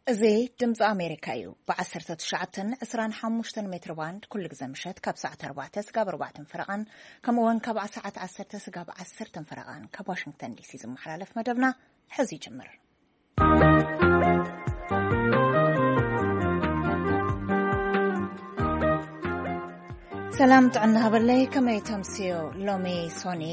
እዚ ድምፂ ኣሜሪካ እዩ። ብ19 25 ሜትር ባንድ ኩሉ ግዜ ምሸት ካብ ሰዓት 4 ስጋብ 4 ፈረቓን፣ ከምኡ እውን ካብ ሰዓት 10 ስጋብ 10 ፈረቓን ካብ ዋሽንግተን ዲሲ ዝመሓላለፍ መደብና ሕዚ ይጅምር። ሰላም ጥዕና ሃበለይ፣ ከመይ ተምስዮ? ሎሚ ሶኒ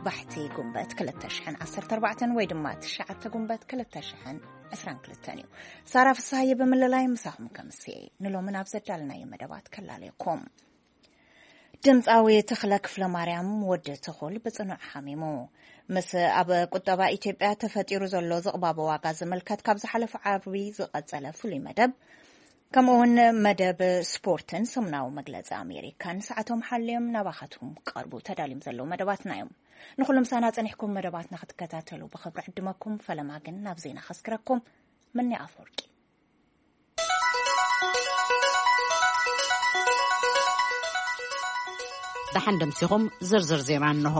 ባሕቲ ጉንበት 2014 ወይ ድማ ትሽዓተ ጉንበት 2022 እዩ። ሳራ ፍስሃየ ብምልላይ ምሳኹም ከምስየ። ንሎሚ ናብ ዘዳልናዮ መደባት ከላለየኩም። ድምፃዊ ተኽለ ክፍለ ማርያም ወዲ ትኹል ብጽኑዕ ሓሚሙ። ምስ ኣብ ቁጠባ ኢትዮጵያ ተፈጢሩ ዘሎ ዝቕባበ ዋጋ ዝምልከት ካብ ዝሓለፈ ዓርቢ ዝቐጸለ ፍሉይ መደብ፣ ከምኡ እውን መደብ ስፖርትን ሰሙናዊ መግለጺ ኣሜሪካን ሰዓቶም ሓልዮም ናባኻትኩም ክቐርቡ ተዳልዮም ዘለዉ መደባትና እዮም። ንኹሎም ሳና ጸኒሕኩም መደባትና ክትከታተሉ ብኽብሪ ዕድመኩም። ፈለማ ግን ናብ ዜና ከስክረኩም። ምኒ ኣፈወርቂ። ደሓን ደምሲኹም ዝርዝር ዜና እንሆ።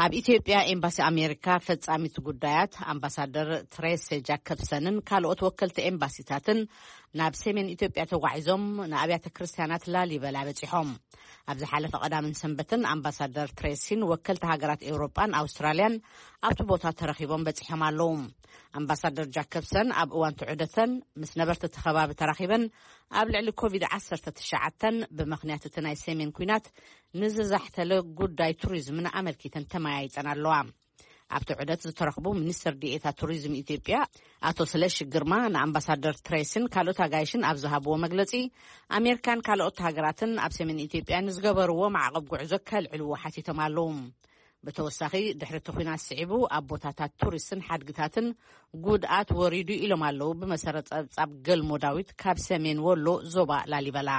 ኣብ ኢትዮጵያ ኤምባሲ ኣሜሪካ ፈጻሚት ጉዳያት ኣምባሳደር ትሬሴ ጃከብሰንን ካልኦት ወከልቲ ኤምባሲታትን ናብ ሰሜን ኢትዮጵያ ተጓዒዞም ንኣብያተ ክርስቲያናት ላሊበላ በጺሖም። ኣብ ዝሓለፈ ቀዳምን ሰንበትን ኣምባሳደር ትሬሲን ወከልቲ ሃገራት ኤውሮጳን ኣውስትራልያን ኣብቲ ቦታ ተረኺቦም በጺሖም ኣለዉ። ኣምባሳደር ጃከብሰን ኣብ እዋን ትዑደተን ምስ ነበርቲ እቲ ከባቢ ተራኺበን ኣብ ልዕሊ ኮቪድ-19 ብምኽንያት እቲ ናይ ሰሜን ኲናት ንዝዛሕተለ ጉዳይ ቱሪዝምን ኣመልኪተን ተመያይጸን ኣለዋ። ኣብቲ ዑደት ዝተረኽቡ ሚኒስትር ዲኤታ ቱሪዝም ኢትዮጵያ ኣቶ ስለሺ ግርማ ንኣምባሳደር ትሬሲን ካልኦት ኣጋይሽን ኣብ ዝሃብዎ መግለጺ፣ ኣሜሪካን ካልኦት ሃገራትን ኣብ ሰሜን ኢትዮጵያ ንዝገበርዎ ማዕቐብ ጉዕዞ ከልዕልዎ ሓቲቶም ኣለዉ። ብተወሳኺ፣ ድሕሪ እቲ ኲናት ስዒቡ ኣብ ቦታታት ቱሪስትን ሓድግታትን ጉድኣት ወሪዱ ኢሎም ኣለዉ። ብመሰረት ጸብጻብ ገልሞ ዳዊት ካብ ሰሜን ወሎ ዞባ ላሊበላ።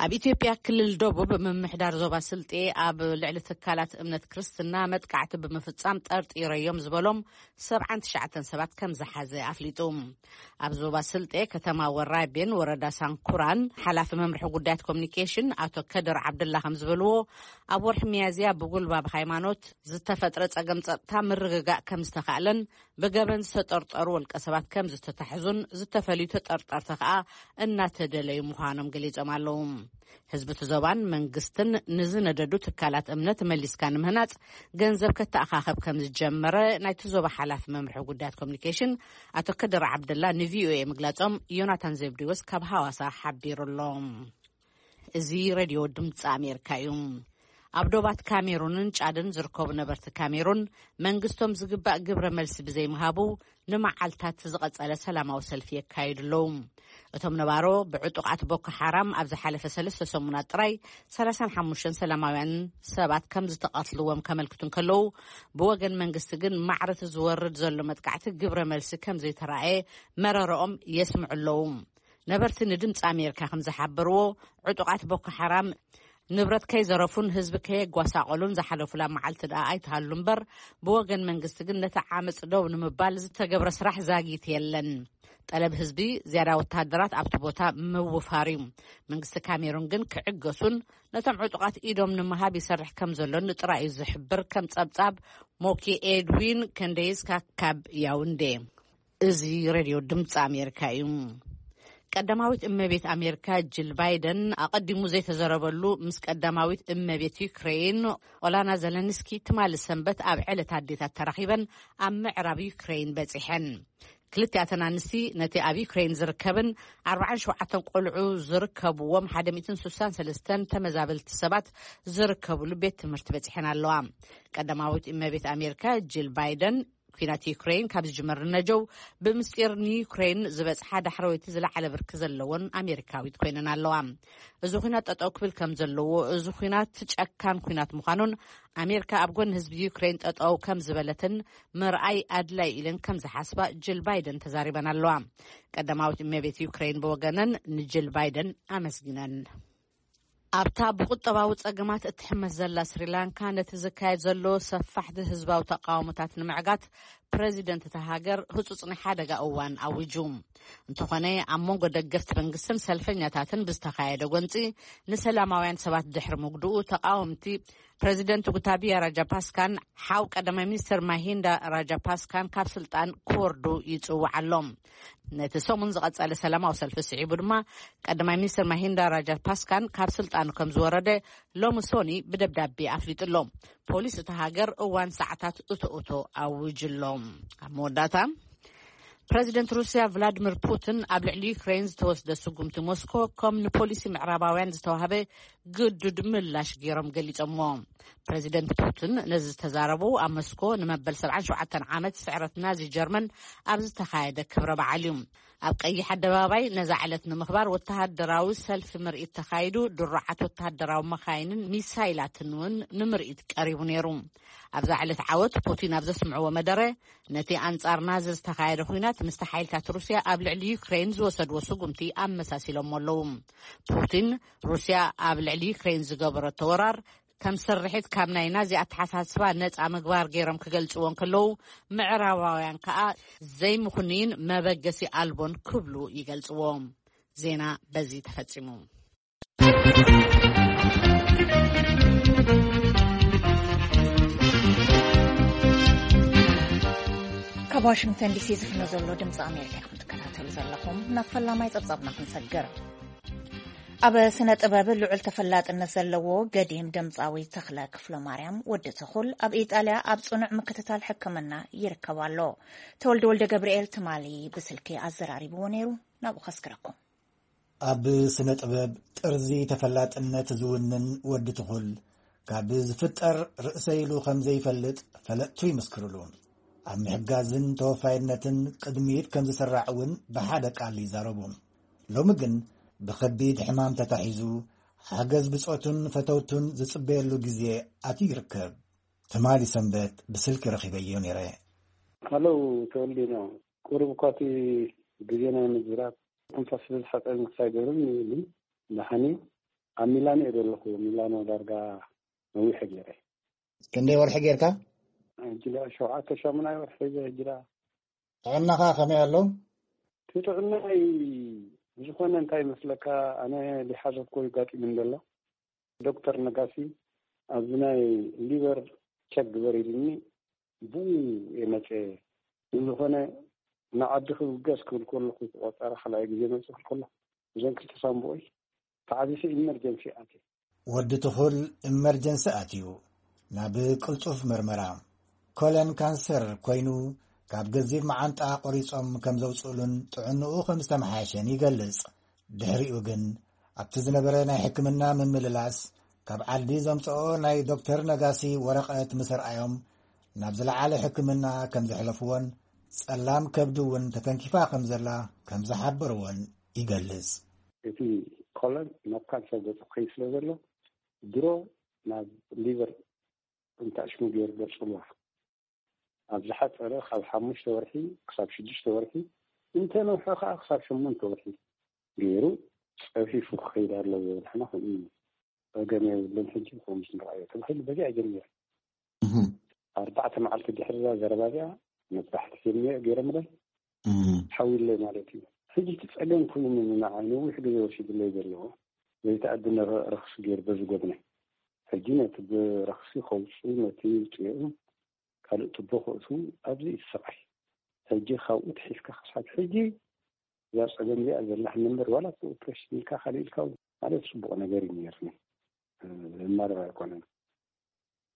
ኣብ ኢትዮጵያ ክልል ደቡብ ምምሕዳር ዞባ ስልጤ ኣብ ልዕሊ ትካላት እምነት ክርስትና መጥቃዕቲ ብምፍጻም ጠርጢረዮም ዝበሎም 79 ሰባት ከም ዝሓዘ ኣፍሊጡ። ኣብ ዞባ ስልጤ ከተማ ወራቤን ወረዳ ሳንኩራን ሓላፊ መምርሒ ጉዳያት ኮሚኒኬሽን ኣቶ ከድር ዓብደላ ከም ዝበልዎ፣ ኣብ ወርሒ ሚያዝያ ብጉልባብ ሃይማኖት ዝተፈጥረ ጸገም ጸጥታ ምርግጋእ ከም ዝተኻእለን ብገበን ዝተጠርጠሩ ወልቀ ሰባት ከም ዝተታሕዙን ዝተፈልዩ ተጠርጠርቲ ከኣ እናተደለዩ ምዃኖም ገሊጾም ኣለዉ። ህዝቢ እቲ ዞባን መንግስትን ንዝነደዱ ትካላት እምነት መሊስካ ንምህናጽ ገንዘብ ከተኣኻኸብ ከም ዝጀመረ ናይቲ ዞባ ሓላፊ መምርሒ ጉዳያት ኮሚኒኬሽን ኣቶ ከድር ዓብደላ ንቪኦኤ ምግላጾም ዮናታን ዘብዲዎስ ካብ ሃዋሳ ሓቢሩ ኣሎ። እዚ ሬድዮ ድምፂ ኣሜሪካ እዩ። ኣብ ዶባት ካሜሩንን ጫድን ዝርከቡ ነበርቲ ካሜሩን መንግስቶም ዝግባእ ግብረ መልሲ ብዘይምሃቡ ንመዓልታት ዝቐጸለ ሰላማዊ ሰልፊ የካይዱ ኣለዉ። እቶም ነባሮ ብዕጡቓት ቦኮ ሓራም ኣብ ዝሓለፈ ሰለስተ ሰሙናት ጥራይ 35 ሰላማውያን ሰባት ከም ዝተቐትልዎም ከመልክቱ እንከለዉ፣ ብወገን መንግስቲ ግን ማዕረ እቲ ዝወርድ ዘሎ መጥቃዕቲ ግብረ መልሲ ከም ዘይተራእየ መረረኦም የስምዑ ኣለዉ። ነበርቲ ንድምፂ ኣሜሪካ ከም ዝሓበርዎ፣ ዕጡቓት ቦኮ ሓራም ንብረት ከይዘረፉን ህዝቢ ከየጓሳቐሉን ዝሓለፉላ መዓልቲ ደኣ ኣይትሃሉ እምበር፣ ብወገን መንግስቲ ግን ነቲ ዓመፅ ደው ንምባል ዝተገብረ ስራሕ ዛጊት የለን። ጠለብ ህዝቢ ዝያዳ ወተሃደራት ኣብቲ ቦታ ምውፋር እዩ። መንግስቲ ካሜሩን ግን ክዕገሱን ነቶም ዕጡቓት ኢዶም ንምሃብ ይሰርሕ ከም ዘሎ ንጥራይ እዩ ዝሕብር፣ ከም ጸብጻብ ሞኪ ኤድዊን ከንደይስካ ካብ ያውንዴ። እዚ ሬድዮ ድምፂ ኣሜሪካ እዩ። ቀዳማዊት እመቤት ኣሜሪካ ጂል ባይደን ኣቐዲሙ ዘይተዘረበሉ ምስ ቀዳማዊት እመቤት ዩክሬን ኦላና ዘለንስኪ ትማሊ ሰንበት ኣብ ዕለት ኣዴታት ተራኺበን ኣብ ምዕራብ ዩክሬን በጺሐን። ክልቲኣተን ኣንስቲ ነቲ ኣብ ዩክሬን ዝርከብን ኣርባዓን ሸውዓተን ቆልዑ ዝርከብዎም ሓደ ሚእትን ስሳን ሰለስተን ተመዛበልቲ ሰባት ዝርከብሉ ቤት ትምህርቲ በጺሐን ኣለዋ። ቀዳማዊት እመቤት ኣሜሪካ ጂል ባይደን ኲናት ዩክሬን ካብ ዝጅመር ንነጀው ብምስጢር ንዩክሬን ዝበጽሓ ዳሕረወይቲ ዝለዓለ ብርኪ ዘለዎን ኣሜሪካዊት ኮይነን ኣለዋ። እዚ ኲናት ጠጠው ክብል ከም ዘለዎ፣ እዚ ኲናት ጨካን ኲናት ምዃኑን ኣሜሪካ ኣብ ጎኒ ህዝቢ ዩክሬን ጠጠው ከም ዝበለትን ምርኣይ ኣድላይ ኢለን ከም ዝሓስባ ጅል ባይደን ተዛሪበን ኣለዋ። ቀዳማዊት እመቤት ዩክሬን ብወገነን ንጅል ባይደን ኣመስጊነን። ኣብታ ብቁጠባዊ ጸገማት እትሕመስ ዘላ ስሪላንካ፣ ነቲ ዝካየድ ዘሎ ሰፋሕቲ ህዝባዊ ተቃውሞታት ንምዕጋት ፕረዚደንት እታ ሃገር ህጹጽ ናይ ሓደጋ እዋን ኣዊጁ። እንተኾነ፣ ኣብ መንጎ ደገፍቲ መንግስትን ሰልፈኛታትን ብዝተኻየደ ጎንጺ ንሰላማውያን ሰባት ድሕሪ ምግድኡ፣ ተቃወምቲ ፕረዚደንት ጉታቢያ ራጃፓስካን ሓው ቀዳማይ ሚኒስትር ማሂንዳ ራጃፓስካን ካብ ስልጣን ክወርዱ ይጽውዓ ኣሎ። ነቲ ሰሙን ዝቐጸለ ሰላማዊ ሰልፊ ስዒቡ ድማ፣ ቀዳማይ ሚኒስትር ማሂንዳ ራጃፓስካን ካብ ስልጣኑ ከም ዝወረደ ሎሚ ሶኒ ብደብዳቤ ኣፍሊጡ ኣሎ። ፖሊስ እታ ሃገር እዋን ሰዓታት እቶ እቶ ኣውጅ ኣሎ። ኣብ መወዳእታ፣ ፕረዚደንት ሩስያ ቭላድሚር ፑቲን ኣብ ልዕሊ ዩክሬን ዝተወስደ ስጉምቲ ሞስኮ ከም ንፖሊሲ ምዕራባውያን ዝተዋህበ ግዱድ ምላሽ ገይሮም ገሊጾምዎ። ፕረዚደንት ፑቲን ነዚ ዝተዛረቡ ኣብ ሞስኮ ንመበል ሰብዓን ሸውዓተን ዓመት ስዕረት ናዚ ጀርመን ኣብ ዝተኻየደ ክብረ በዓል እዩ። ኣብ ቀይሕ ኣደባባይ ነዛ ዕለት ንምኽባር ወተሃደራዊ ሰልፊ ምርኢት ተኻይዱ፣ ድሩዓት ወተሃደራዊ መኻይንን ሚሳይላትን እውን ንምርኢት ቀሪቡ ነይሩ። ኣብዛ ዕለት ዓወት ፑቲን ኣብ ዘስምዕዎ መደረ፣ ነቲ ኣንጻር ናዚ ዝተኻየደ ኲናት ምስቲ ሓይልታት ሩስያ ኣብ ልዕሊ ዩክሬን ዝወሰድዎ ስጉምቲ ኣመሳሲሎሞ ኣለዉ። ፑቲን ሩስያ ኣብ ልዕሊ ዩክሬን ዝገበረቶ ወራር ከም ስርሒት ካብ ናይ ናዚ ኣተሓሳስባ ነጻ ምግባር ገይሮም ክገልጽዎ እንከለዉ፣ ምዕራባውያን ከኣ ዘይምኹንይን መበገሲ ኣልቦን ክብሉ ይገልጽዎ። ዜና በዚ ተፈጺሙ። ካብ ዋሽንግተን ዲሲ ዝፍኖ ዘሎ ድምፂ ኣሜሪካ ኢኹም ትከታተሉ ዘለኹም። ናብ ፈላማይ ጸብጻብና ክንሰግር። ኣብ ስነ ጥበብ ልዑል ተፈላጥነት ዘለዎ ገዲም ድምፃዊ ተኽለ ክፍለ ማርያም ወዲ ትኹል ኣብ ኢጣልያ ኣብ ጽኑዕ ምክትታል ሕክምና ይርከብ ኣሎ። ተወልደ ወልደ ገብርኤል ትማሊ ብስልኪ ኣዘራሪብዎ ነይሩ። ናብኡ ከስግረኩም። ኣብ ስነ ጥበብ ጥርዚ ተፈላጥነት ዝውንን ወዲ ትኹል፣ ካብ ዝፍጠር ርእሰ ኢሉ ከም ዘይፈልጥ ፈለጥቱ ይምስክርሉ። ኣብ ምሕጋዝን ተወፋይነትን ቅድሚት ከም ዝስራዕ እውን ብሓደ ቃል ይዛረቡ። ሎሚ ግን ብኸቢድ ሕማም ተታሒዙ፣ ሓገዝ ብጾቱን ፈተውቱን ዝጽበየሉ ግዜ ኣትዩ ይርከብ። ትማሊ ሰንበት ብስልኪ ረኺበዮ ነይረ። ሃሎ ተወልዴ፣ ቁሩብ እኳ እቲ ግዜ ናይ ምዝራብ ትንፋስ ስለ ዝሓጸረኒ ክሳይ ገይሩኒ፣ ግን ደሓን እዩ። ኣብ ሚላኖ እየ ዘለኹ። ሚላኖ ዳርጋ ነዊሕ ገይረ። ክንደይ ወርሒ ጌርካ? ሕጂ ሸውዓተ ሻሙናይ ወርሒ ሒዘ። ሕጂ ደኣ ጥዕናኻ ከመይ ኣሎ? እቲ ጥዕናይ ብዝኾነ እንታይ ይመስለካ፣ ኣነ ሊሓዘት ኮ ይጋጢም እንደሎ። ዶክተር ነጋሲ ኣብዚ ናይ ሊቨር ቸክ ግበር ኢሉኒ፣ ብኡ እየ መጸ። ብዝኾነ ንዓዲ ክብገስ ክብል ከለኹ፣ ቆጸራ ካልኣይ ግዜ መጽእ ክብል ከለኹ፣ እዞን ክልተ ሳምቡኦይ ተዓዚሰ ኢመርጀንሲ ኣትየ። ወዲ ትኹል ኢመርጀንሲ ኣትዩ ናብ ቅልጡፍ መርመራ። ኮለን ካንሰር ኮይኑ፣ ካብ ገዚፍ መዓንጣ ቆሪጾም ከም ዘውጽእሉን ጥዕንኡ ከም ዝተመሓየሸን ይገልጽ። ድሕሪኡ ግን ኣብቲ ዝነበረ ናይ ሕክምና ምምልላስ፣ ካብ ዓዲ ዘምጽኦ ናይ ዶክተር ነጋሲ ወረቐት ምስ ኣርኣዮም፣ ናብ ዝለዓለ ሕክምና ከም ዘሕለፍዎን ጸላም ከብዱ እውን ተተንኪፋ ከም ዘላ ከም ዝሓበርዎን ይገልጽ። እቲ ኮለን ናብ ካንሰር ገጹ ክኸይድ ስለ ዘሎ፣ ድሮ ናብ ሊቨር እንተኣሽሙ ገይሩ ገጽ ጽልዋ። ኣብ ዝሓጸረ ካብ ሓሙሽተ ወርሒ ክሳብ ሽዱሽተ ወርሒ፣ እንተ ነውሐ ከኣ ክሳብ ሸሞንተ ወርሒ ገይሩ ጸፊፉ ክኸይድ ኣለዎ። ንሕና ከምኡ እዩ። ጸገም የብሉን፣ ሕጂ ከምኡ ንርኣዮ ተባሂሉ በዚኣ ጀሚሩ። እህም። ኣርባዕተ መዓልቲ ድሕሪ እዛ ዘረባ እዚኣ መጥባሕቲ ፊልም ገይሮምለይ። እም። ሓዊለይ ማለት እዩ። ሕጂ እቲ ጸገም ኮይኑ ንዓይ ነዊሕ ግዜ ወሲዱለይ ዘለዎ ዘይተኣድነ ረ-፣ ረኽሲ ገይሩ በዚ ጎድነ። ሕጂ ነቲ ብረኽሲ ከውጽኡ፣ ነቲ ውጽኦም ካልእ ቱቦ ከእትዉ ኣብዚ እዩ ስቓይ። ሕጂ ካብኡ ትሒዝካ ክሳብ ሕጂ እዛ ጸገም እዚኣ ዘላሕኒ እምበር፣ ዋላ እቲ ኦፕሬሽን ኢልካ ካልእ ኢልካ እውን ማለት ጽቡቕ ነገር እዩ ነይርኒ። እ፣ ዝማረር ኣይኮነን።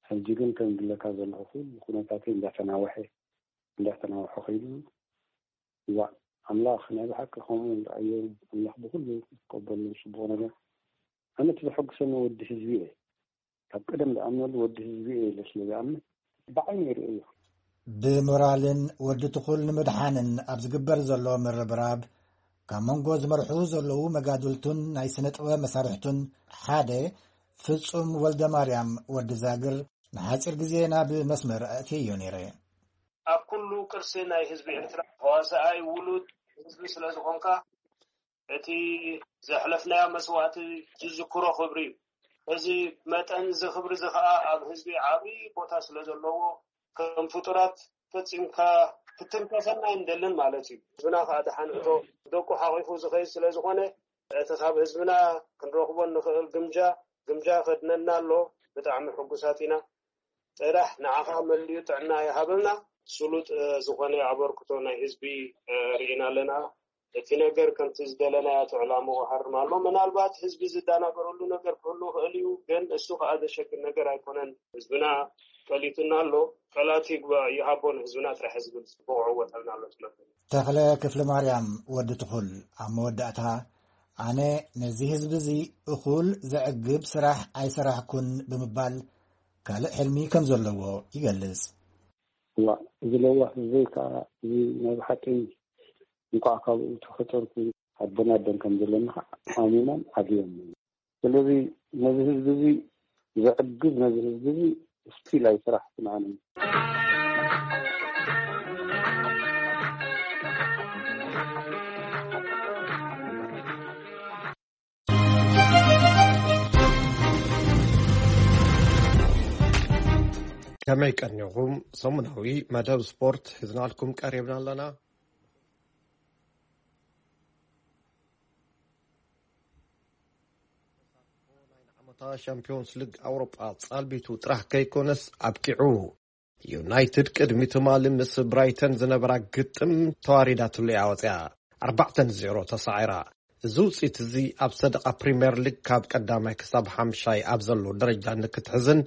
ሕጂ ግን ከም ዝብለካ ዘለኹ ኩሉ ኩነታተይ እንዳተናወሐ፣ እንዳተናወሐ ከይዱ፣ እዋእ፣ ኣምላኽ ናይ ብሓቂ ከምኡ ይርኣዮ፣ ኣምላኽ ብኹሉ ይቀበሎ ጽቡቕ ነገር። ኣነ እቲ ዘሐጉሰኒ ወዲ ህዝቢ እየ። ካብ ቀደም ዝኣምነሉ ወዲ ህዝቢ እየ ኢለ ስለ ዝኣምን ብዓይነይ ይርእዮ። ብሞራልን ወዲ ትኹል ንምድሓንን ኣብ ዝግበር ዘሎ ምርብራብ፣ ካብ መንጎ ዝመርሑ ዘለዉ መጋድልቱን ናይ ስነ ጥበብ መሳርሕቱን ሓደ ፍጹም ወልደ ማርያም ወዲ ዛግር ንሓጺር ግዜ ናብ መስመር ኣእትየዮ ነይረ። ኣብ ኩሉ ቅርሲ ናይ ህዝቢ ኤርትራ ተዋሳኣይ ውሉድ ህዝቢ ስለ ዝኾንካ፣ እቲ ዘሕለፍናዮ መስዋእቲ ዝዝክሮ ክብሪ እዩ። እዚ መጠን እዚ ክብሪ እዚ ኸኣ ኣብ ህዝቢ ዓብዪ ቦታ ስለ ዘለዎ፣ ከም ፍጡራት ፈጺምካ ክትንከፈና ኣይንደልን ማለት እዩ። ህዝብና ከዓ ደሓን እቶ ደቁ ሓቂፉ ዝኸይድ ስለ ዝኾነ፣ እቲ ካብ ህዝብና ክንረኽቦ እንኽእል ግምጃ፣ ግምጃ ከድነና ኣሎ። ብጣዕሚ ሕጉሳት ኢና። ጥራሕ ንዓኻ መሊኡ ጥዕና ይሃበልና። ስሉጥ፣ እ፣ ዝኾነ ኣበርክቶ ናይ ህዝቢ፣ እ፣ ርኢና ኣለና። እቲ ነገር ከምቲ ዝደለናዮ እቲ ዕላምኡ ሃርም ኣሎ። ምናልባት ህዝቢ ዝደናገረሉ ነገር ክህሉ ይኽእል እዩ፣ ግን እሱ ከዓ ዘሸግር ነገር ኣይኮነን። ህዝብና ቀሊቱና ኣሎ። ቀላቲ ይግባእ ይሃቦ ንህዝብና ጥራሕ ዝብል ጽቡቕ ዕወት ኣለና ኣሎ ትነብር። ተኽለ ክፍለ ማርያም ወዲ ትኹል ኣብ መወዳእታ፣ ኣነ ነዚ ህዝቢ እዚ እኹል ዘዕግብ ስራሕ ኣይሰራሕኩን ብምባል ካልእ ሕልሚ ከም ዘለዎ ይገልጽ። እዋ፣ እዚ ለዋህ ህዝበይ ከዓ እዚ ናይ ብሓቂ እንኳዕ ካብኡ ተፈጠርኩ፣ ኣቦን ኣደን ከም ዘለኒ ከዓ ኣሚኖም ዓብዮም። ስለዚ ነዚ ህዝቢ እዚ ዘዕግብ፣ ነዚ ህዝቢ እዚ ስቲል ኣይሰራሕኩን ኣነ። ከመይ ቀኒኹም? ሰሙናዊ መደብ ስፖርት ሒዝናልኩም ቀሪብና ኣለና። ናይ ዓመታ ሻምፒዮንስ ሊግ ኣውሮጳ ጻልቢቱ ጥራሕ ከይኮነስ ኣብቂዑ። ዩናይትድ ቅድሚ ትማሊ ምስ ብራይተን ዝነበራ ግጥም ተዋሪዳትሉ እያ ወፂኣ። ኣርባዕተ ንዜሮ ተሳዒራ። እዚ ውፅኢት እዚ ኣብ ሰደቓ ፕሪምየር ሊግ ካብ ቀዳማይ ክሳብ ሓምሻይ ኣብ ዘሎ ደረጃ ንክትሕዝን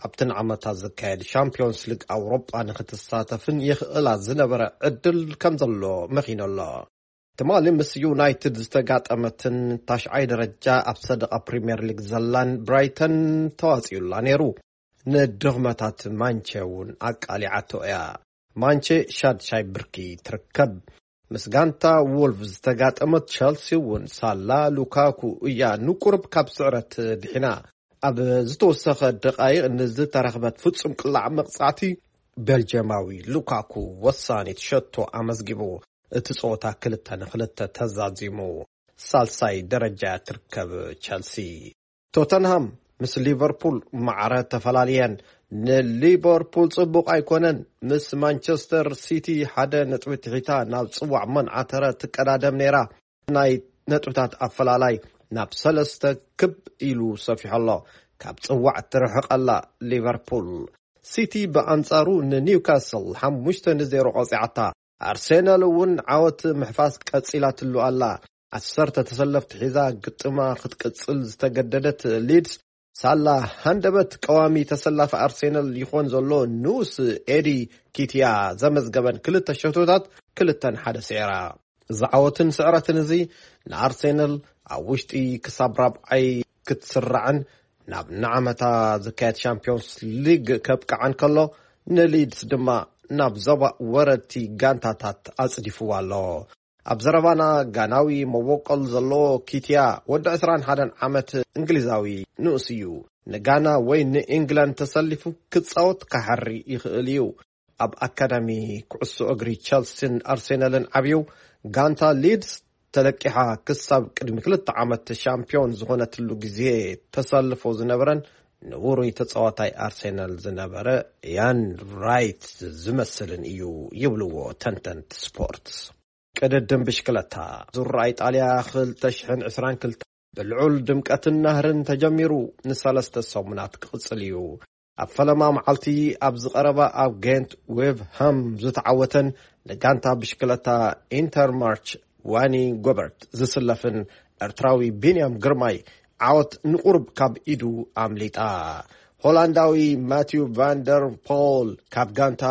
ኣብቲ ንዓመታ ዝካየድ ሻምፒዮንስ ሊግ ኣውሮጳ ንክትሳተፍን የኽእላ ዝነበረ ዕድል ከም ዘሎ መኺኑ ኣሎ። ትማሊ ምስ ዩናይትድ ዝተጋጠመትን ታሽዓይ ደረጃ ኣብ ሰደቓ ፕሪምየር ሊግ ዘላን ብራይተን ተዋፂኡላ ነይሩ። ንድኽመታት ማንቸ እውን ኣቃሊዓቶ እያ። ማንቸ ሻድሻይ ብርኪ ትርከብ። ምስ ጋንታ ዎልቭ ዝተጋጠመት ቸልሲ እውን ሳላ ሉካኩ እያ ንቁርብ ካብ ስዕረት ድሒና። ኣብ ዝተወሰኸ ደቓይቕ ንዝተረኽበት ፍጹም ቅላዕ መቕጻዕቲ ቤልጅየማዊ ሉካኩ ወሳኒት ሸቶ ኣመዝጊቡ። እቲ ጸወታ ክልተ ንክልተ ተዛዚሙ። ሳልሳይ ደረጃ ትርከብ ቸልሲ። ቶተንሃም ምስ ሊቨርፑል ማዕረ ተፈላልየን። ንሊቨርፑል ጽቡቕ ኣይኮነን። ምስ ማንቸስተር ሲቲ ሓደ ነጥቢ ትሒታ ናብ ጽዋዕ መንዓተረ ትቀዳደም ነይራ። ናይ ነጥብታት ኣፈላላይ ናብ ሰለስተ ክብ ኢሉ ሰፊሑ ኣሎ። ካብ ጽዋዕ ትርሕቕ ኣላ ሊቨርፑል። ሲቲ ብኣንጻሩ ንኒውካስል ሓሙሽተ ንዜሮ ቀጺዓታ። ኣርሴናል እውን ዓወት ምሕፋስ ቀጺላትሉ ኣላ። ዓሰርተ ተሰለፍቲ ሒዛ ግጥማ ክትቅጽል ዝተገደደት ሊድስ ሳላ ሃንደበት ቀዋሚ ተሰላፊ ኣርሴናል ይኾን ዘሎ ንኡስ ኤዲ ኪትያ ዘመዝገበን ክልተ ሸቶታት ክልተ ንሓደ ስዒራ። እዚ ዓወትን ስዕረትን እዚ ንኣርሴናል ኣብ ውሽጢ ክሳብ ራብዓይ ክትስራዕን ናብ ንዓመታ ዝካየድ ሻምፒዮንስ ሊግ ከብቅዓን ከሎ፣ ንሊድስ ድማ ናብ ዞባ ወረድቲ ጋንታታት ኣጽዲፍዋ ኣሎ። ኣብ ዘረባና ጋናዊ መበቆል ዘለዎ ኪትያ ወዲ ዕስራን ሓደን ዓመት እንግሊዛዊ ንኡስ እዩ። ንጋና ወይ ንኢንግላንድ ተሰሊፉ ክጻወት ክሓሪ ይኽእል እዩ። ኣብ ኣካዳሚ ኩዕሶ እግሪ ቸልሲን ኣርሴናልን ዓብዩ፣ ጋንታ ሊድስ ተለቂሓ ክሳብ ቅድሚ ክልተ ዓመት ሻምፒዮን ዝኾነትሉ ግዜ ተሰልፎ ዝነበረን ንውሩይ ተጻዋታይ ኣርሴናል ዝነበረ ኢያን ራይት ዝመስልን እዩ ይብልዎ ተንተንቲ ስፖርት። ቅድድም ብሽክለታ ዙራ ኢጣልያ ክልተ ሽሕን ዕስራን ክልተ ብልዑል ድምቀትን ናህርን ተጀሚሩ ንሰለስተ ሰሙናት ክቕጽል እዩ። ኣብ ፈለማ መዓልቲ ኣብዚ ቀረባ ኣብ ጌንት ዌቭሃም ዝተዓወተን ንጋንታ ብሽክለታ ኢንተርማርች ዋኒ ጎበርት ዝስለፍን ኤርትራዊ ቢንያም ግርማይ ዓወት ንቁሩብ ካብ ኢዱ ኣምሊጣ። ሆላንዳዊ ማቲው ቫንደር ፖል ካብ ጋንታ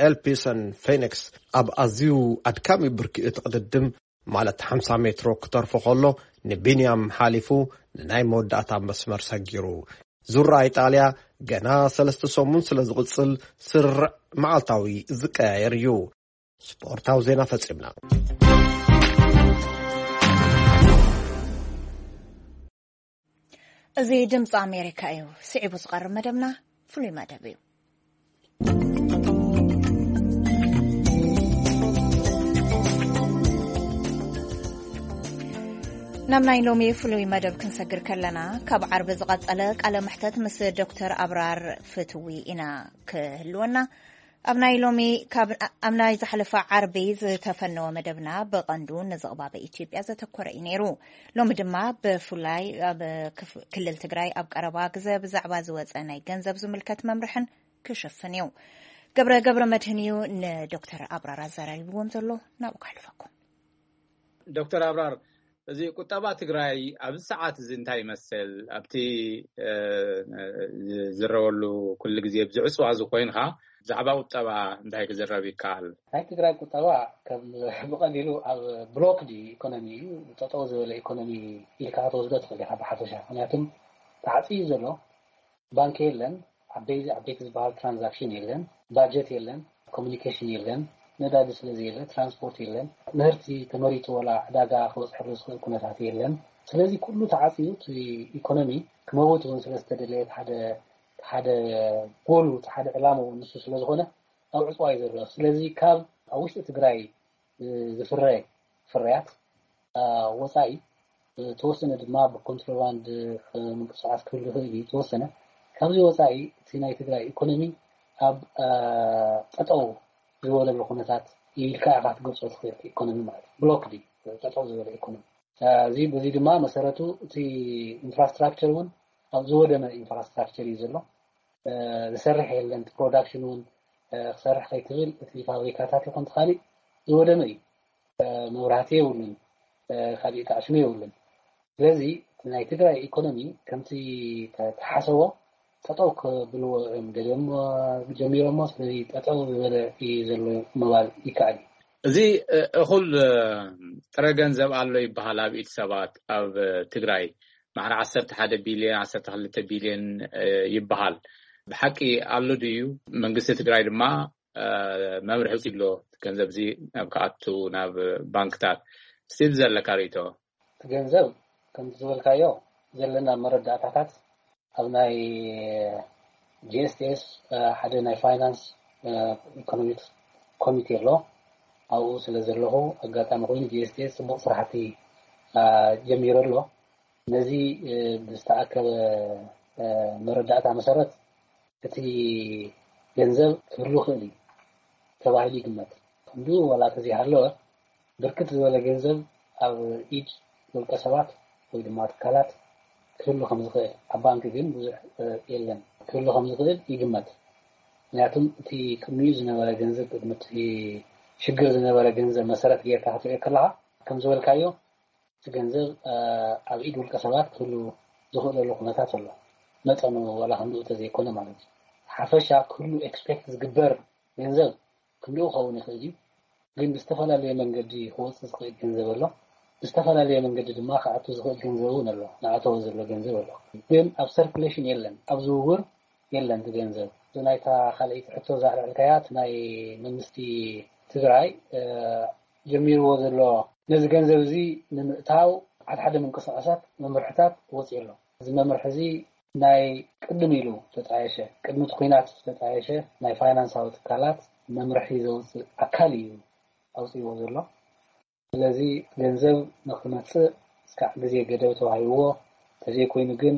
ኤልፒሰን ፌኒክስ ኣብ ኣዝዩ ኣድካሚ ብርኪ እቲ ቅድድም ማለት ሓምሳ ሜትሮ ክተርፎ ከሎ ንቢንያም ሓሊፉ ንናይ መወዳእታ መስመር ሰጊሩ። ዙራ ኢጣልያ ገና ሰለስተ ሰሙን ስለ ዝቕጽል ስርርዕ መዓልታዊ ዝቀያየር እዩ። ስፖርታዊ ዜና ፈጺምና። እዚ ድምፂ ኣሜሪካ እዩ። ስዒቡ ዝቐርብ መደብና ፍሉይ መደብ እዩ። ናብ ናይ ሎሚ ፍሉይ መደብ ክንሰግር ከለና፣ ካብ ዓርቢ ዝቐጸለ ቃለ መሕተት ምስ ዶክተር ኣብራር ፍትዊ ኢና ክህልወና። ኣብ ናይ ሎሚ ካብ ኣብ ናይ ዝሓለፈ ዓርቢ ዝተፈነወ መደብና ብቐንዱ ንዝቕባበ ኢትዮጵያ ዘተኮረ እዩ ነይሩ። ሎሚ ድማ ብፍላይ ኣብ ክፍ- ክልል ትግራይ ኣብ ቀረባ ግዘ ብዛዕባ ዝወፀ ናይ ገንዘብ ዝምልከት መምርሕን ክሽፍን እዩ። ገብረ ገብረ መድህን እዩ ንዶክተር ኣብራር ኣዘራሪብዎም ዘሎ። ናብኡ ከሕልፈኩም። ዶክተር ኣብራር፣ እዚ ቁጠባ ትግራይ ኣብዚ ሰዓት እዚ እንታይ ይመስል? ኣብቲ ዝረወሉ ኩሉ ግዜ ብዝዕፅዋ ዝኾይንካ ብዛዕባ ቁጠባ እንታይ ክዝረብ ይከኣል? ናይ ትግራይ ቁጠባ ከም ብቐሊሉ ኣብ ብሎክድ ኢኮኖሚ እዩ፣ ጠጠው ዝበለ ኢኮኖሚ ኢልካ ክትወስዶ ትኽእል ኢኻ ብሓፈሻ። ምክንያቱም ተዓፅዩ ዘሎ ባንክ የለን፣ ዓበይቲ ዓበይቲ ዝበሃል ትራንዛክሽን የለን፣ ባጀት የለን፣ ኮሚኒኬሽን የለን፣ ነዳዲ ስለዘየለ ትራንስፖርት የለን። ምህርቲ ተመሪቱ ዋላ ዕዳጋ ክበፅሐሉ ዝኽእል ኩነታት የለን። ስለዚ ኩሉ ተዓፅዩ እቲ ኢኮኖሚ ክመውት እውን ስለዝተደለየ ሓደ ሓደ ጎሉ ሓደ ዕላማ እውን ንሱ ስለዝኾነ ኣብ ዕፅዋ እዩ ዘሎ። ስለዚ ካብ ኣብ ውሽጢ ትግራይ ዝፍረ ፍርያት ወፃኢ ተወሰነ ድማ ብኮንትሮባንድ ምንቅስቃስ ክህሉ ይኽእል እዩ። ተወሰነ ካብዚ ወፃኢ እቲ ናይ ትግራይ ኢኮኖሚ ኣብ ጠጠው ዝበለሉ ኩነታት ኢልካ ኢኻ ክትገልፆ ትኽእል። ኢኮኖሚ ማለት ብሎክ ጠጠው ዝበለ ኢኮኖሚ። እዚ በዚ ድማ መሰረቱ እቲ ኢንፍራስትራክቸር እውን ኣብ ዝወደመ ኢንፍራስትራክቸር እዩ ዘሎ። ዝሰርሕ የለን። ፕሮዳክሽን እውን ክሰርሕ ከይትብል እቲ ፋብሪካታት ይኹን ካሊእ ዝወደመ እዩ። መብራህቲ የብሉን፣ ካሊእ ተኣሽሙ የብሉን። ስለዚ ናይ ትግራይ ኢኮኖሚ ከምቲ ተሓሰቦ ጠጠው ክብልዎ እዮም ደልዮሞ ጀሚሮሞ። ስለዚ ጠጠው ዝበለ እዩ ዘሎ ምባል ይከኣል እዩ። እዚ እኹል ጥረ ገንዘብ ኣሎ ይበሃል ኣብ ኢድ ሰባት ኣብ ትግራይ ማዕረ ዓሰርተ ሓደ ቢልዮን ዓሰርተ ክልተ ቢልዮን ይበሃል። ብሓቂ ኣሎ ድዩ? መንግስቲ ትግራይ ድማ መምርሒ ኣሎ ገንዘብ እዚ ናብ ክኣቱ ናብ ባንክታት ስቲል ዘለካ ርእቶ? እቲ ገንዘብ ከምቲ ዝበልካዮ ዘለና መረዳእታታት ኣብ ናይ ጂኤስቲኤስ ሓደ ናይ ፋይናንስ ኢኮኖሚክስ ኮሚቴ ኣሎ። ኣብኡ ስለ ዘለኹ ኣጋጣሚ ኮይኑ ጂኤስቲኤስ ፅቡቕ ስራሕቲ ጀሚሩ ኣሎ። ነዚ ብዝተኣከበ መረዳእታ መሰረት እቲ ገንዘብ ክህሉ ክእል እዩ ተባሂሉ ይግመት። ክንድኡ ዋላ ተዘይሃለወ ብርክት ዝበለ ገንዘብ ኣብ ኢድ ውልቀ ሰባት ወይ ድማ ትካላት ክህሉ ከም ዝኽእል፣ ኣብ ባንክ ግን ብዙሕ የለን፣ ክህሉ ከም ዝኽእል ይግመት። ምክንያቱም እቲ ቅድሚኡ ዝነበረ ገንዘብ፣ ቅድሚ እቲ ሽግር ዝነበረ ገንዘብ መሰረት ጌርካ ክትሪኦ ከለኻ ከም ዝበልካዮ እቲ ገንዘብ ኣብ ኢድ ውልቀ ሰባት ክህሉ ዝኽእለሉ ኩነታት ኣሎ። መጠኑ ዋላ ክንድኡ ተዘይኮነ ማለት እዩ። ሓፈሻ ክህሉ ኤክስፔክት ዝግበር ገንዘብ ክንድኡ ክኸውን ይኽእል እዩ። ግን ብዝተፈላለየ መንገዲ ክወፅእ ዝኽእል ገንዘብ ኣሎ። ብዝተፈላለየ መንገዲ ድማ ክኣቱ ዝኽእል ገንዘብ እውን ኣሎ። ንኣተወ ዘሎ ገንዘብ ኣሎ። ግን ኣብ ሰርኩሌሽን የለን፣ ኣብ ዝውውር የለን። እቲ ገንዘብ ናይታ ካልኣይቲ ሕቶ ዛዕልዕልካያ እቲ ናይ መንግስቲ ትግራይ ጀሚርዎ ዘሎ ነዚ ገንዘብ እዚ ንምእታው ሓደ ሓደ ምንቅስቃሳት መምርሕታት ወፂኡ ኣሎ። እዚ መምርሒ እዚ ናይ ቅድም ኢሉ ዝተጣየሸ፣ ቅድሚ እቲ ኲናት ዝተጣየሸ ናይ ፋይናንሳዊ ትካላት መምርሒ ዘውፅእ ኣካል እዩ ኣውፅእዎ ዘሎ። ስለዚ ገንዘብ ንክመፅእ እስካዕ ግዜ ገደብ ተዋሂብዎ፣ ተዘይኮይኑ ግን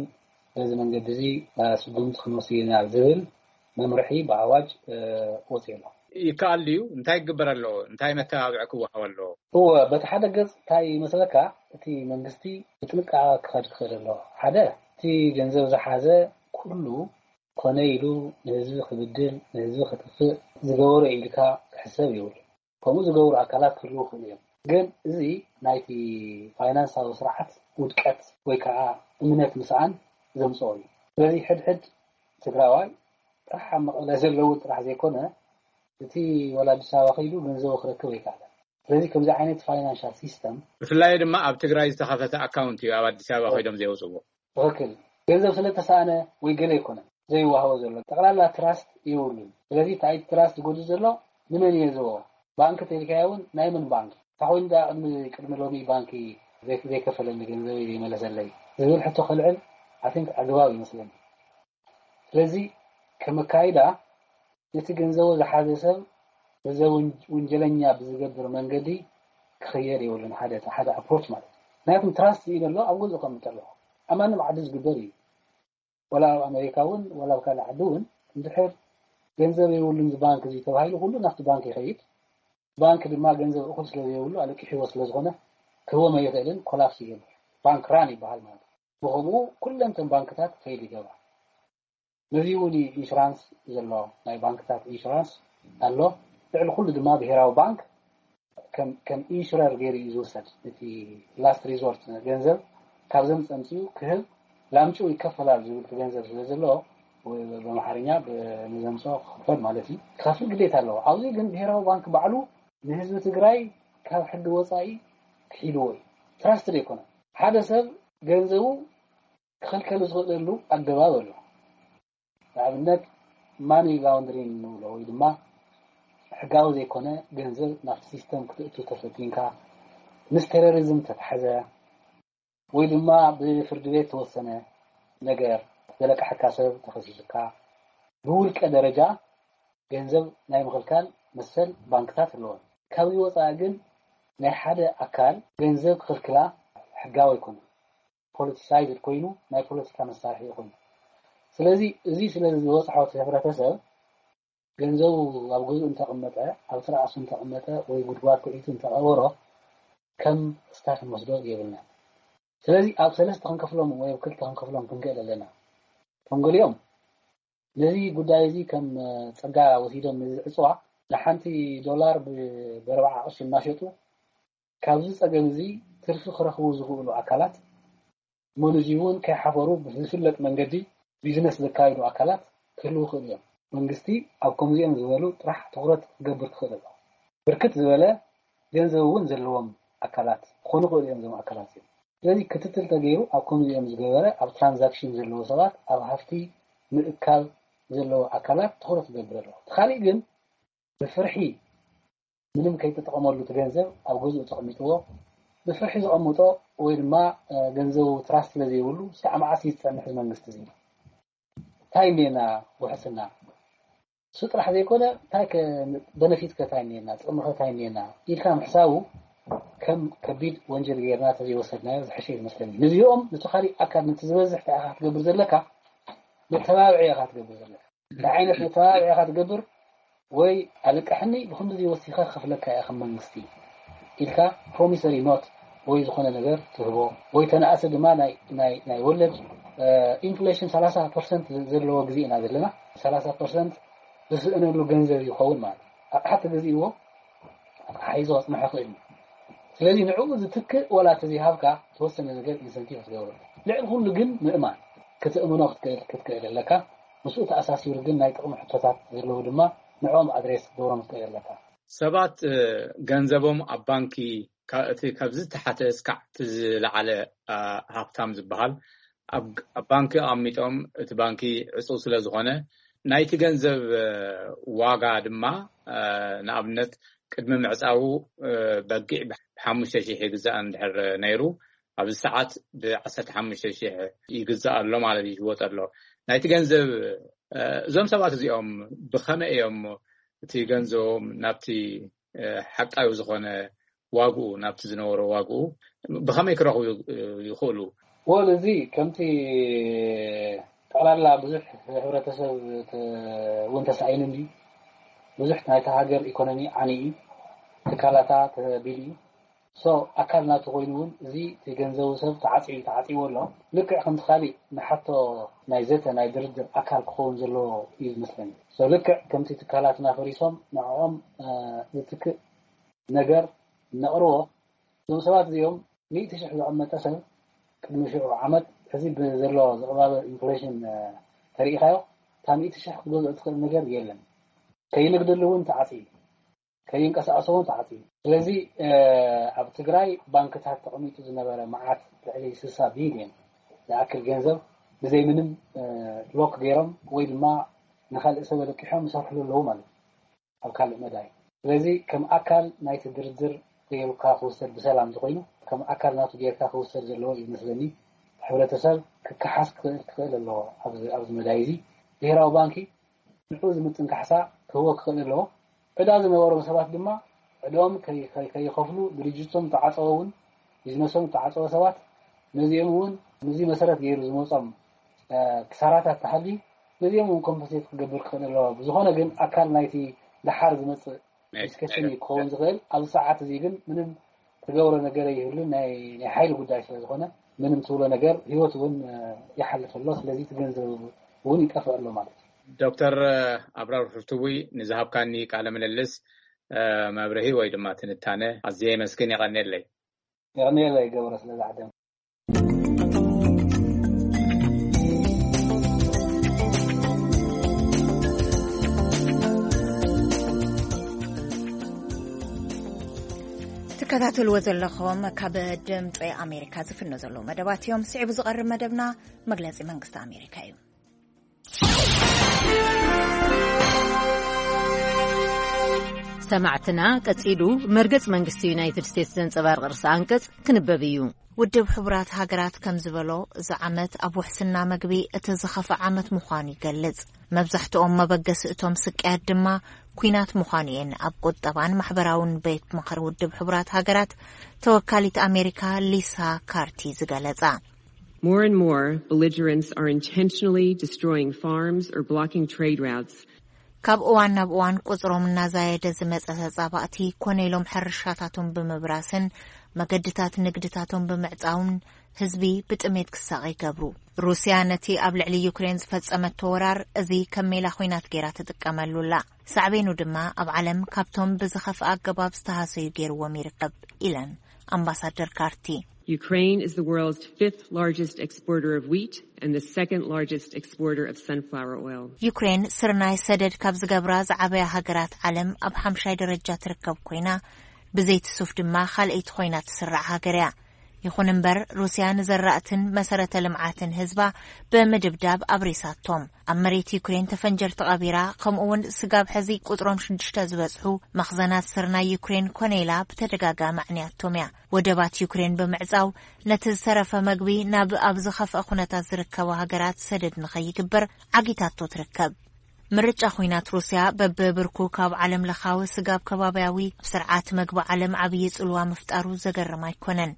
በዚ መንገዲ እዚ ስጉምቲ ክንወስድ ኢና ዝብል መምርሒ ብኣዋጅ ወፂኡ ኣሎ። ይከኣል ድዩ? እንታይ ክግበር ኣለዎ? እንታይ መተባብዒ ክወሃብ ኣለዎ? እወ፣ በቲ ሓደ ገፅ እንታይ ይመስለካ፣ እቲ መንግስቲ ብጥንቃቐ ክኸድ ክኽእል ኣለዎ። ሓደ፣ እቲ ገንዘብ ዝሓዘ ኩሉ ኮነ ኢሉ ንህዝቢ ክብድል፣ ንህዝቢ ክጥፍእ ዝገበሮ ኢልካ ክሕሰብ ይብሉ። ከምኡ ዝገብሩ ኣካላት ክህልዉ ክኽእሉ እዮም። ግን እዚ ናይቲ ፋይናንሳዊ ስርዓት ውድቀት ወይ ከዓ እምነት ምስኣን ዘምፅኦ እዩ። ስለዚ ሕድሕድ ትግራዋይ ጥራሕ ኣብ መቐለ ዘለዉ ጥራሕ ዘይኮነ፣ እቲ ዋላ ኣዲስ ኣበባ ከይዱ ገንዘቡ ክረክብ ኣይከኣለን። ስለዚ ከምዚ ዓይነት ፋይናንሻል ሲስተም ብፍላይ ድማ ኣብ ትግራይ ዝተኸፈተ ኣካውንት እዩ ኣብ ኣዲስ ኣበባ ከይዶም ዘየውፅዎ። ትኽክል። ገንዘብ ስለ ተሳእነ ወይ ገለ ኣይኮነን ዘይወሃቦ ዘሎ። ጠቕላላ ትራስት የብሉን። ስለዚ እቲ ኣይቲ ትራስት ዝጎድል ዘሎ ንመን እየ ዝህቦ? ባንክ ተልካዮ እውን ናይ መን ባንክ? እንታይ ኮይኑ ደኣ ቅድሚ ቅድሚ ሎሚ ባንኪ ዘይ- ዘይከፈለኒ ገንዘበይ ዘይመለሰለይ ዝብል ሕቶ ከልዕል ኣቲንክ ኣግባብ ይመስለኒ። ስለዚ ከም ኣካይዳ ነቲ ገንዘቡ ዝሓዘ ሰብ ነዚ ወንጀለኛ ብዝገብር መንገዲ ክኽየድ የብሉን። ሓደ ሓደ ኣፕሮች ማለት እዩ። ምክንያቱም ትራስት እዩ ዘሎ ኣብ ገዝኡ ከምጠሎ ኣብ ማንም ዓዲ ዝግበር እዩ። ወላ ኣብ ኣሜሪካ እውን ወላ ኣብ ካልእ ዓዲ እውን እንድሕር ገንዘብ የብሉን እዚ ባንክ እዚ ተባሂሉ ኩሉ ናብቲ ባንክ ይኸይድ። ባንክ ድማ ገንዘብ እኹል ስለ ዘይብሉ ኣለቂሕዎ ስለ ዝኾነ ክህቦም ኣይኽእልን፣ ኮላፕስ ይገብር። ባንክ ራን ይበሃል ማለት እዩ። ብኸምኡ ኩለን እተን ባንክታት ፌል ይገብራ። ነዚ እውን ኢንሹራንስ ዘሎ ናይ ባንክታት ኢንሹራንስ ኣሎ። ልዕሊ ኩሉ ድማ ብሄራዊ ባንክ ከም ከም ኢንሹረር ገይሩ እዩ ዝውሰድ። እቲ ላስት ሪዞርት ገንዘብ ካብዘም ፀምፅኡ ክህብ ላምጭኡ ይከፈላል ዝብል እቲ ገንዘብ ስለ ዘሎ ወይ ብኣምሓርኛ ብንዘምፅኦ ክኽፈል ማለት እዩ። ክኸፍል ግዴታ ኣለዎ። ኣብዚ ግን ብሄራዊ ባንክ ባዕሉ ንህዝቢ ትግራይ ካብ ሕጊ ወፃኢ ክሒድዎ እዩ። ትራስት ዘይኮነ ሓደ ሰብ ገንዘቡ ክኽልከል ዝኽእለሉ ኣገባብ ኣሎ። ንኣብነት ማኒ ላውንድሪንግ ንብሎ ወይ ድማ ሕጋዊ ዘይኮነ ገንዘብ ናብቲ ሲስተም ክትእቱ ተፈቲንካ ምስ ቴሮሪዝም ተታሕዘ ወይ ድማ ብፍርዲ ቤት ተወሰነ ነገር ዘለቃሕካ ሰብ ተኸሲስካ ብውልቀ ደረጃ ገንዘብ ናይ ምኽልካል መሰል ባንክታት ኣለዎን። ካብዚ ወፃኢ ግን ናይ ሓደ ኣካል ገንዘብ ክኽልክላ ሕጋዊ ኣይኮነን። ፖለቲሳይዝድ ኮይኑ ናይ ፖለቲካ መሳርሒ ኮይኑ ስለዚ እዚ ስለ ዝበፅሖ እቲ ሕብረተሰብ ገንዘቡ ኣብ ገዝኡ እንተቐመጠ ኣብ ትርኣሱ እንተቐመጠ ወይ ጉድጓድ ኩዒቱ እንተቐበሮ ከም ስታፍ ንወስዶ የብልና። ስለዚ ኣብ ሰለስተ ክንከፍሎም ወይ ኣብ ክልተ ክንከፍሎም ክንክእል ኣለና። ከም ገሊኦም ነዚ ጉዳይ እዚ ከም ጸጋ ወሲዶም ነዚ ዕፅዋ ንሓንቲ ዶላር ብኣርባዓ ቅርሺ እናሸጡ ካብዚ ጸገም እዚ ትርፊ ክረኽቡ ዝኽእሉ ኣካላት ሞንዚ እውን ከይሓፈሩ ብዝፍለጥ መንገዲ ቢዝነስ ዘካይዱ ኣካላት ክህልዉ ይኽእሉ እዮም። መንግስቲ ኣብ ከምዚኦም ዝበሉ ጥራሕ ትኹረት ክገብር ክኽእል ኣለዎ። ብርክት ዝበለ ገንዘብ እውን ዘለዎም ኣካላት ክኾኑ ይኽእሉ እዮም። እዞም ኣካላት እዚኦም ስለዚ ክትትል ተገይሩ ኣብ ከምዚኦም ዝገበረ ኣብ ትራንዛክሽን ዘለዎ ሰባት ኣብ ሃፍቲ ምእካብ ዘለዎ ኣካላት ትኹረት ክገብር ኣለዎ። እቲ ካሊእ ግን ብፍርሒ ምንም ከይተጠቐመሉ እቲ ገንዘብ ኣብ ገዝኡ ተቐሚጥዎ ብፍርሒ ዘቐምጦ ወይ ድማ ገንዘቡ ትራስት ስለ ዘይብሉ እስካዕ መዓስ እዩ ዝፀንሕ እዚ መንግስቲ እዚ? እንታይ እኒኤና ውሕስና? እሱ ጥራሕ ዘይኮነ እንታይ በነፊት ከ እንታይ እኒኤና ጥቕሚ ከ እንታይ እኒኤና ኢልካ ምሕሳቡ ከም ከቢድ ወንጀል ጌርና ተዘይወሰድናዮ ዝሐሸ ይመስለኒ። ንዚኦም ነቲ ካሊእ ኣካል ነቲ ዝበዝሕ እንታይ ኢኻ ክትገብር ዘለካ? መተባብዒ ኢኻ ትገብር ዘለካ። እንታይ ዓይነት መተባብዒ ኢኻ ትገብር? ወይ ኣለቅሕኒ ብክንድዚ ወሲኸ ክኸፍለካ እየ ከም መንግስቲ ኢልካ ፕሮሚሰሪ ኖት ወይ ዝኾነ ነገር ትህቦ ወይ ተነኣሰ ድማ ናይ ናይ ናይ ወለድ ኢንፍሌሽን ሰላሳ ፐርሰንት ዘለዎ ግዜ ኢና ዘለና። ሰላሳ ፐርሰንት ዝስእነሉ ገንዘብ ይኸውን ማለት እዩ። ኣቕሓ ተገዚእዎ ኣቕሓ ሒዞ ክፅንሖ ይኽእል እዩ። ስለዚ ንዕኡ ዝትክእ ዋላ ተዘይሃብካ ተወሰነ ነገር ኢንሰንቲቭ ክትገብረሉ ልዕሊ ኩሉ ግን ምእማን ክትእምኖ ክትክእል ክትክእል ኣለካ። ምስኡ ተኣሳሲሩ ግን ናይ ጥቕሚ ሕቶታት ዘለዉ ድማ ንዕኦም ኣድሬስ ክትገብሮም ክትክእል ኣለካ። ሰባት ገንዘቦም ኣብ ባንኪ እቲ ካብ ዝተሓተ እስካዕ እቲ ዝለዓለ ሃብታም ዝበሃል ኣብ ባንኪ ኣቐሚጦም እቲ ባንኪ ዕፁው ስለ ዝኾነ ናይቲ ገንዘብ ዋጋ ድማ ንኣብነት ቅድሚ ምዕፃዉ በጊዕ ብሓሙሽተ ሺሕ ይግዛእ እንድሕር ነይሩ ኣብዚ ሰዓት ብዓሰርተ ሓሙሽተ ሺሕ ይግዛእ ኣሎ ማለት እዩ ይሽወጥ ኣሎ። ናይቲ ገንዘብ እዞም ሰባት እዚኦም ብኸመይ እዮም እቲ ገንዘቦም ናብቲ ሓቃዊ ዝኾነ ዋግኡ ናብቲ ዝነበሮ ዋግኡ ብኸመይ ክረኽቡ ይኽእሉ? ወል እዚ ከምቲ ጠቕላላ ብዙሕ ሕብረተሰብ እውን ተሳኢኑ እንዲ ብዙሕ ናይታ ሃገር ኢኮኖሚ ዓኒ እዩ። ትካላታ ተቢሉ እዩ። ሶ ኣካል ናቱ ኮይኑ እውን እዚ እቲ ገንዘቡ ሰብ ተዓፅዩ ተዓፅይዎ ኣሎ። ልክዕ ከምቲ ካሊእ ንሓቶ ናይ ዘተ ናይ ድርድር ኣካል ክኸውን ዘለዎ እዩ ዝመስለኒ። ሶ ልክዕ ከምቲ ትካላትና ፈሪሶም ንዕኦም ዝትክእ ነገር ነቕርቦ። እዞም ሰባት እዚኦም ሚእቲ ሽሕ ዘቐመጠ ሰብ ቅድሚ ሽዑ ዓመት ሕዚ ብዘሎ ዝቕባበ ኢንፍሌሽን ተሪኢኻዮ እታ ሚእቲ ሽሕ ክትገዝኦ ትኽእል ነገር የለን። ከይንግድሉ እውን ተዓፅዩ ከይንቀሳቐሱ እውን ተዓፅዩ። ስለዚ ኣብ ትግራይ ባንክታት ተቐሚጡ ዝነበረ መዓት ልዕሊ ስሳ ቢልዮን ዝኣክል ገንዘብ ብዘይ ምንም ሎክ ገይሮም ወይ ድማ ንካልእ ሰብ ኣለቂሖም ይሰርሕሉ ኣለዉ ማለት እዩ ኣብ ካልእ መዳይ። ስለዚ ከም ኣካል ናይቲ ድርድር ገይሩካ ክውሰድ ብሰላም እንተኮይኑ ከም ኣካል ናቱ ጌርካ ክውሰድ ዘለዎ እዩ መስለኒ። ሕብረተሰብ ክከሓስ ክኽእል ኣለዎ ኣብዚ መዳይ እዚ። ብሄራዊ ባንኪ ንዕኡ ዝምጥን ካሕሳ ክህቦ ክኽእል ኣለዎ። ዕዳ ዝነበሮም ሰባት ድማ ዕድኦም ከይኸፍሉ ድርጅቶም ተዓፀወ እውን ቢዝነሶም ተዓፀወ ሰባት ነዚኦም እውን ነዚ መሰረት ገይሩ ዝመፆም ክሳራታት ተሃልዩ ነዚኦም እውን ኮምፐንሴት ክገብር ክኽእል ኣለዎ። ብዝኾነ ግን ኣካል ናይቲ ደሓር ዝመጽእ ዲስከሽን እዩ ክኸውን ዝኽእል። ኣብዚ ሰዓት እዚ ግን ምንም ትገብሮ ነገር የብሉን። ናይ ናይ ሓይሊ ጉዳይ ስለ ዝኾነ ምንም ትብሎ ነገር፣ ህይወት እውን ይሓልፍ ኣሎ። ስለዚ ትገንዘብ እውን ይጠፍእ ኣሎ ማለት እዩ። ዶክተር ኣብራር ፍርትዊ፣ ንዝሃብካኒ ቃለ ምልልስ መብርሂ ወይ ድማ ትንታነ ኣዝየ የመስግን። የቐንየለይ። የቐንየለይ ገብረ፣ ስለዚ ዓደም። ትከታተልዎ ዘለኹም ካብ ድምፂ ኣሜሪካ ዝፍኖ ዘለዉ መደባት እዮም። ስዒቡ ዝቐርብ መደብና መግለፂ መንግስቲ ኣሜሪካ እዩ። ሰማዕትና፣ ቀጺሉ መርገጽ መንግስቲ ዩናይትድ ስቴትስ ዘንጸባርቕ ርእሰ ኣንቀጽ ክንበብ እዩ። ውድብ ሕቡራት ሃገራት ከም ዝበሎ፣ እዚ ዓመት ኣብ ውሕስና መግቢ እቲ ዝኸፍአ ዓመት ምዃኑ ይገልጽ። መብዛሕትኦም መበገሲ እቶም ስቅያት ድማ ኲናት ምዃኑ እየን ኣብ ቁጠባን ማሕበራውን ቤት ምኽሪ ውድብ ሕቡራት ሃገራት ተወካሊት ኣሜሪካ ሊሳ ካርቲ ዝገለጻ። More and more belligerents are intentionally destroying farms or blocking trade routes. ካብ እዋን ናብ እዋን ቁጽሮም እናዛየደ ዝመጸ ተጻባእቲ ኮነ ኢሎም ሕርሻታቶም ብምብራስን መገድታት ንግድታቶም ብምዕጻውን ህዝቢ ብጥሜት ክሳቐ ይገብሩ። ሩስያ ነቲ ኣብ ልዕሊ ዩክሬን ዝፈጸመቶ ወራር እዚ ከም ሜላ ኹናት ገይራ ትጥቀመሉ ኣላ። ሳዕቤኑ ድማ ኣብ ዓለም ካብቶም ብዝኸፍአ ኣገባብ ዝተሃሰዩ ገይርዎም ይርከብ ኢለን ኣምባሳደር ካርቲ። Ukraine is the world's fifth largest exporter of wheat and the second largest exporter of sunflower oil. ዩክሬን ስርናይ ሰደድ ካብ ዝገብራ ዝዓበያ ሃገራት ዓለም ኣብ ሓምሻይ ደረጃ ትርከብ ኮይና፣ ብዘይቲ ሱፍ ድማ ካልኣይቲ ኮይና ትስራዕ ሃገር እያ። ይኹን እምበር፣ ሩስያ ንዘራእትን መሰረተ ልምዓትን ህዝባ ብምድብዳብ ኣብሪሳቶም። ኣብ መሬት ዩክሬን ተፈንጀርቲ ቀቢራ፣ ከምኡ እውን ስጋብ ሕዚ ቁጽሮም ሽዱሽተ ዝበጽሑ መኽዘናት ስርናይ ዩክሬን ኮነ ኢላ ብተደጋጋሚ ኣዕንያቶም እያ። ወደባት ዩክሬን ብምዕጻው፣ ነቲ ዝተረፈ መግቢ ናብ ኣብ ዝኸፍአ ኩነታት ዝርከባ ሃገራት ሰደድ ንኸይግበር ዓጊታቶ ትርከብ። ምርጫ ኹናት ሩስያ በብብርኩ ካብ ዓለም ለኻዊ ስጋብ ከባብያዊ ኣብ ስርዓት መግቢ ዓለም ዓብዪ ጽልዋ ምፍጣሩ ዘገርም ኣይኮነን።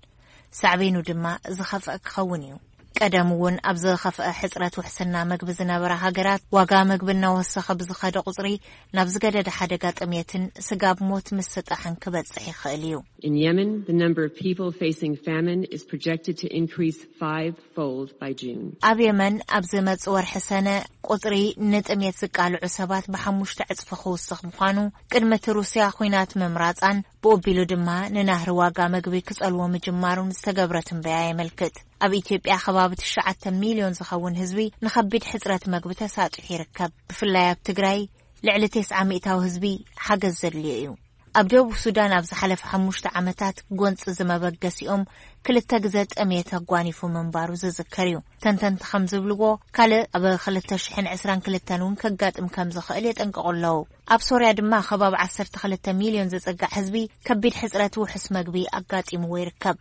ሳዕቤኑ ድማ ዝኸፍአ ክኸውን እዩ። ቀደም እውን ኣብ ዝኸፍአ ሕጽረት ውሕስና መግቢ ዝነበራ ሃገራት ዋጋ መግቢ እናወሰኸ ብዝኸደ ቁጽሪ ናብ ዝገደደ ሓደጋ ጥሜትን ስጋብ ሞት ምስጣሕን ክበጽሕ ይኽእል እዩ። In Yemen, the number of people facing famine is projected to increase five-fold by June. ኣብ የመን ኣብ ዝመጽእ ወርሒ ሰነ ቁጽሪ ንጥሜት ዝቃልዑ ሰባት ብሓሙሽተ ዕጽፊ ክውስኽ ምዃኑ ቅድሚ እቲ ሩስያ ኹናት ምምራጻን ብኡቢሉ ድማ ንናህሪ ዋጋ መግቢ ክጸልዎ ምጅማሩን ዝተገብረ ትንበያ የመልክት። ኣብ ኢትዮጵያ ከባቢ ትሽዓተ ሚልዮን ዝኸውን ህዝቢ ንኸቢድ ሕጽረት መግቢ ተሳጢሑ ይርከብ። ብፍላይ ኣብ ትግራይ ልዕሊ ተስዓ ሚእታዊ ህዝቢ ሓገዝ ዘድልዮ እዩ። ኣብ ደቡብ ሱዳን ኣብ ዝሓለፈ ሓሙሽተ ዓመታት ጎንጺ ዝመበገሲኦም ክልተ ግዘ ጥሜት ኣጓኒፉ ምንባሩ ዝዝከር እዩ። ተንተንቲ ከም ዝብልዎ፣ ካልእ ኣብ ክልተ ሽሕን ዕስራን ክልተን እውን ከጋጥም ከም ዝኽእል የጠንቅቑ ኣለዉ። ኣብ ሶርያ ድማ ከባቢ ዓሰርተ ክልተ ሚልዮን ዝጽጋዕ ህዝቢ ከቢድ ሕጽረት ውሑስ መግቢ ኣጋጢምዎ ይርከብ።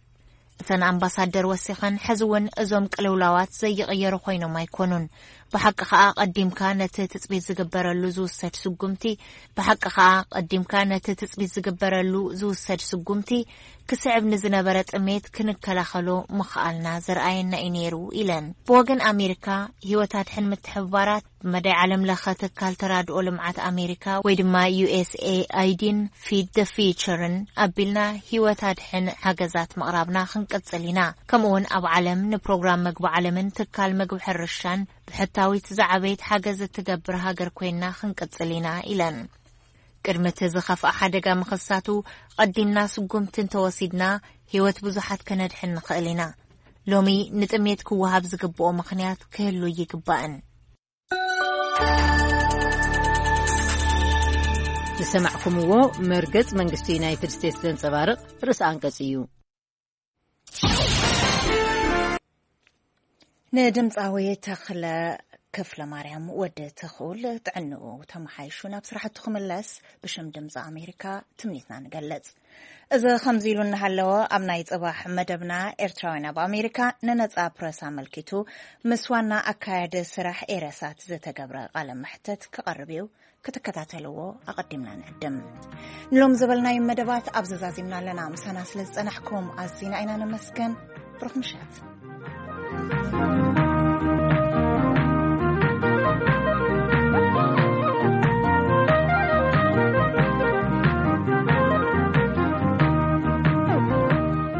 እተን ኣምባሳደር ወሲኸን፣ ሕዚ እውን እዞም ቅልውላዋት ዘይቕየሩ ኮይኖም ኣይኮኑን። ብሓቂ ኸኣ፣ ቀዲምካ ነቲ ትጽቢት ዝግበረሉ ዝውሰድ ስጉምቲ፣ ብሓቂ ኸኣ፣ ቀዲምካ ነቲ ትጽቢት ዝግበረሉ ዝውሰድ ስጉምቲ ክስዕብ ንዝነበረ ጥሜት ክንከላኸሎ ምኽኣልና ዘርኣየና እዩ ነይሩ ኢለን። ብወገን ኣሜሪካ፣ ህይወት ኣድሕን ምትሕብባራት ብመዳይ ዓለም ለኸ ትካል ተራድኦ ልምዓት ኣሜሪካ ወይ ድማ ዩ ኤስ ኤ ኣይ ዲን ፊድ ደ ፊቸርን ኣቢልና ህይወት ኣድሕን ሓገዛት ምቕራብና ክንቅጽል ኢና። ከምኡውን ኣብ ዓለም ንፕሮግራም መግቢ ዓለምን ትካል መግቢ ሕርሻን ብሕታዊት ዝዓበየት ሓገዝ እትገብር ሃገር ኮይንና ክንቅጽል ኢና ኢለን። ቅድሚ እቲ ዝኸፍኣ ሓደጋ ምኽሳቱ ቀዲምና ስጉምቲ እንተወሲድና ህይወት ብዙሓት ከነድሕን ንኽእል ኢና። ሎሚ ንጥሜት ክወሃብ ዝግብኦ ምኽንያት ክህሉ ይግባእን። ዝሰማዕኩምዎ መርገጽ መንግስቲ ዩናይትድ ስቴትስ ዘንጸባርቕ ርእሰ ኣንቀጽ እዩ። ንድምፃዊ ተኽለ ክፍለ ማርያም ወዲ ተኽኡል ጥዕንኡ ተመሓይሹ ናብ ስራሕቱ ክምለስ ብሽም ድምፂ ኣሜሪካ ትምኒትና ንገልጽ። እዚ ከምዚ ኢሉ እናሃለወ ኣብ ናይ ጽባሕ መደብና ኤርትራውያን ኣብ ኣሜሪካ ንነጻ ፕረስ ኣመልኪቱ ምስ ዋና ኣካያዲ ስራሕ ኤረሳት ዝተገብረ ቃለ መሕተት ክቐርብ እዩ። ክትከታተልዎ ኣቐዲምና ንዕድም። ንሎም ዝበልናዮም መደባት ኣብ ዘዛዚምና ኣለና። ምሳና ስለ ዝጸናሕኩም ኣዚና ኢና ነመስገን። ብሩኽ ምሸት።